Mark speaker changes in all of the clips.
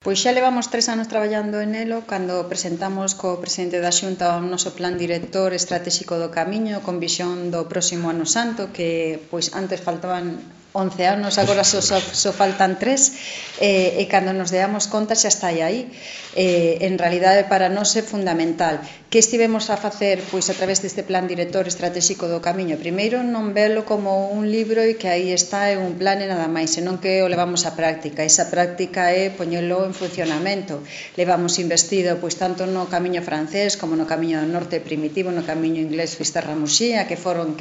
Speaker 1: Pois xa levamos 3 anos traballando en elo cando presentamos co presidente da Xunta o noso plan director estratégico do Camiño con visión do próximo Ano Santo, que pois antes faltaban 11 anos, agora só faltan 3, e cando nos deamos conta xa está aí. En realidade para nós é fundamental. Que estivemos a facer pois a través deste plan director estratégico do Camiño? Primeiro, non velo como un libro e que aí está é un plan e nada máis, senón que o levamos á práctica. Esa práctica é poñelo en funcionamento. Levamos investido pois tanto no camiño francés como no camiño do norte primitivo, no camiño inglés Fisterra-Muxía, que foron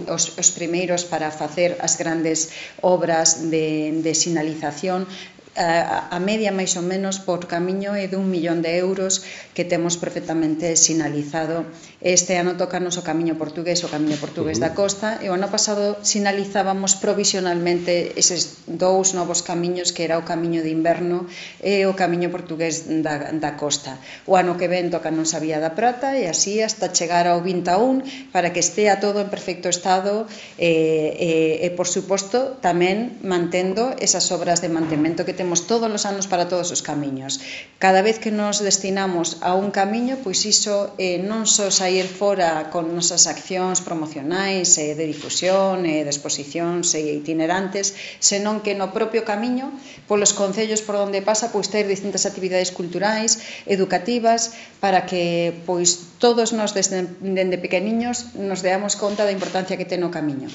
Speaker 1: os primeiros para facer as grandes obras de sinalización. A media máis ou menos por camiño é de 1 millón de euros que temos perfectamente sinalizado. Este ano tocanos o camiño portugués da costa, e o ano pasado sinalizábamos provisionalmente eses 2 novos camiños, que era o camiño de inverno e o camiño portugués da costa. O ano que ven tocanos a Vía da Prata, e así hasta chegar ao 21 para que estea todo en perfecto estado e por suposto tamén mantendo esas obras de mantemento que temos todos os anos para todos os camiños. Cada vez que nos destinamos a un camiño, pois iso non só sair fora con nosas accións promocionais de difusión de exposicións itinerantes, senón que no propio camiño, polos concellos por onde pasa, pois ter distintas actividades culturais, educativas, para que pois todos nós dende pequeniños nos deamos conta da importancia que ten o camiño.